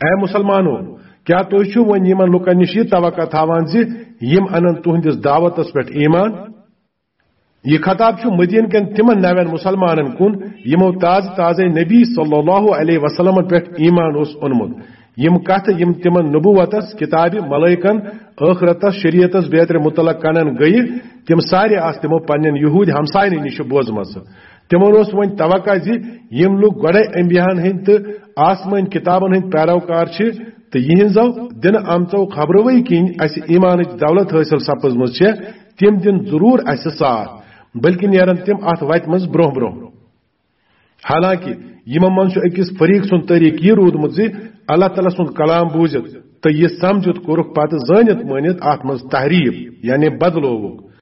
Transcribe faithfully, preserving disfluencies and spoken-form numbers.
A مسلمانو، کیا تُہۍ چھِو وۄنۍ یِمن لُکن نِش یہِ توقع تھاوان زِ یِم انن تُہنٛدِس دعوتس پٮ۪ٹھ ایمان؟ یہِ خطاب چھُ مدینہ کٮ۪ن تِمن نوٮ۪ن مسلمانن کُن، یِمو تازٕ تازے نبی صلی اللہ علیہ وسلمن پٮ۪ٹھ ایمان اوس اوٚنمُت۔ یِم کتھٕ یِم تِمن نبوتس، کتابہِ، ملائکن، ٲخرتس، شریعتس بیترِ متعلق کنن گٔیہِ، تِم سارے آسہٕ تِمو پننٮ۪ن یہودۍ ہمساینٕے نِش بوزمژٕ۔ تِمن اوس وۄنۍ توقع زِ یِم لُکھ گۄڈے انبیاہن ہٕنٛدۍ تہٕ آسمٲنۍ کتابن ہٕنٛدۍ پیروکار چھِ تہٕ یِہنٛزو دِنہٕ آمژو خبروٕے کِنۍ اسہِ ایمانٕچ دولت حٲصِل سپٕزمٕژ چھےٚ، تِم دِن ضروٗر اسہِ ساتھ، بلکہِ نیرن تِم اتھ وتہِ منٛز برونٛہہ برونٛہہ۔ حالانکہ یِمو منٛز چھُ أکِس فریق سُنٛد طریقہٕ یہِ روٗدمُت زِ اللہ تعالیٰ سُنٛد کلام بوٗزِتھ تہٕ یہِ سمجھِتھ کوٚرُکھ پتہٕ زٲنِتھ مٲنِتھ اتھ منٛز تحریف، یعنی بدلووُکھ۔